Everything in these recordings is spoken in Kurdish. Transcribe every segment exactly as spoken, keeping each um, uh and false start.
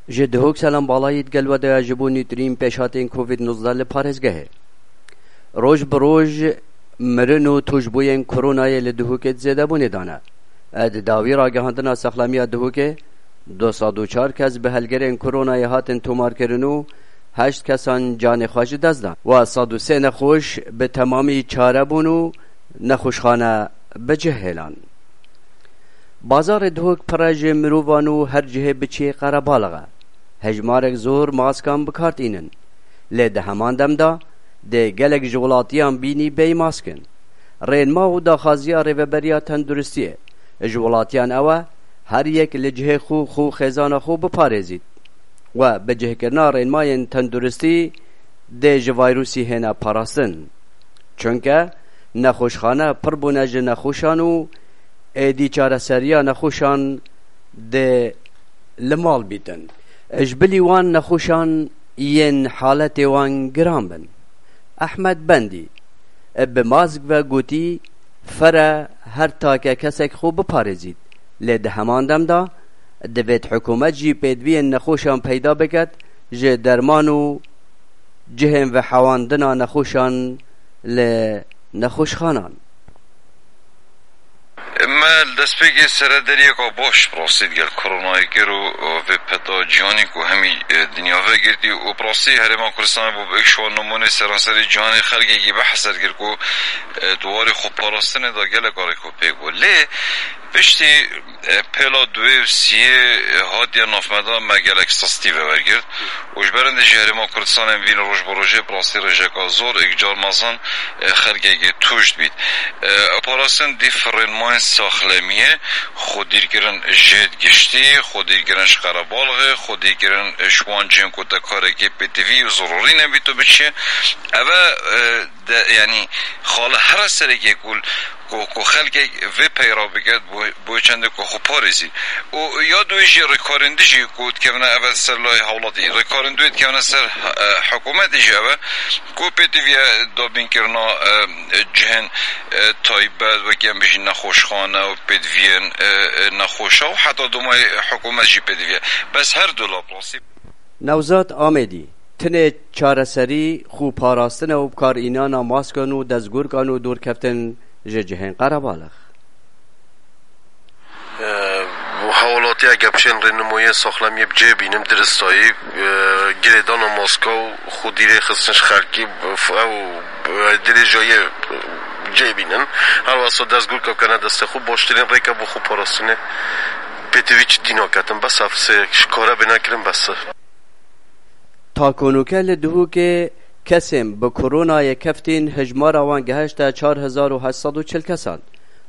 Ji Duhok Selam Balayî digel we de ye ji bo nûtirîn pêşhatên Covid nozdeh li parêzgehê. Roj bi roj mirin û tûşbûyên koronayê li Duhokê di zêdebûnê de ne. Di dawî ragihandina saxlamiya Duhokê, du sed û çar kes bi helgerên koronayê hatin tomarkirin û heşt kesan canê xwe ji dest dan. Wa sed û sê nexweş bi temamî çare bûn û nexweşxane bi cih hêlan. Bazarê Duhok pir e ji mirovan û her cihê biçî qerebalix e. Hejmarek zor maskan bi kar tînin. Lê di heman dem de dê gelek ji welatiyan bînî bêyî mask in. Rênma û daxwaziya Rêveberiya Tenduristiyê ji welatiyan ew e, her yek li cihê xwe xwe û xêzana xwe biparêzît. We bi cihkirina rênmayên tenduristî dê ji vayrûsî hêne parastin. Çunke nexweşxane pir bûne ji nexweşan û êdî çareseriya nexweşan dê li mal bîtin. Ji bilî wan nexweşan yên haletê wan giran bin. Ehmed Bendî bi mask ve gotî, fere her take kesek xwe biparêzît. Lê di heman dem de divêt hikûmet jî pêdiviyên nexweşan peyda biket ji derman û cihên vehewandina nexweşan li nexweşxanan. Me li destpêkê seredariyeka baş bi rastî digel koronayê kir û vê peta cîhanî ku hemî, e, dinya vegirtî û bi rastî Herêma Kurdistanê bû bi êk şiwan nimûnê seranserê cîhanê xelkekî bi heser kir ku, e, di warê xweparastinê de gelek arêk û pêk bû. Lê piştî, e, pêla duwê û siyê, e, hatiye navmeda me gelek sistî vewergirt û ji berindê jî Herêma Kurdistanê vîn roj bi rojê bi rastî rêjeka zor êk car mezin, e, xelkekê tûj dibît. E, parastin dî firênmayên saxlemiyê, xwedîrkirin jêd giştî, xwedîrkirin ji qerebalixê, xwedîrkirin ji wan cihên ku te karekê pêtivî û zirûrî nebît û biçî. Ev e, e, de, yanî, xala here serekê ku, ku, ku xelkek vê peyra biket, bo, bo çendê ku xwe parêzî. Û ya duwê jî rêkarên dijî ku dikevine eve ser layê hewlatî, rêkarên duwê dikevine ser, e, hikûmetê jî eve, ku pêtiviye dabînkirina, e, cihên, e, taybet, wekî em bijî nexweşxane û pêtiviyên, e, e, nexweşa û heta domayê hikûmet jî pêtiviye. Bes her du lap rastî. Newzat Amêdî, tinê çareserî xwe parastin e û bikarînana maskan û dezgurkan û dûrkeftin ji cihên qerebalix. Ew, hewlatiya gepşên rênimoyê saxlemiyê bi cê bînin, diristayî, e, girêdana maska û xwedî rêxistin ji xelkî, ew, e, dirêjayê cê bînin. Her wesa dezgurka bikene destê xwe, baştirîn rêke bo xwe parastinê. Pêtivî çi dî naketin, bes ev sê ji kare bêne kirin, bes e. Ta konûke li Duhokê kesên bi koronayê keftîn hijmara wan gehişte çar hezar û heşt sed û çil kesan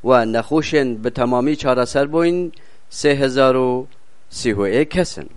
we nexweşên bi temamî çareser bûyîn sê hezar û sî û yek kes in.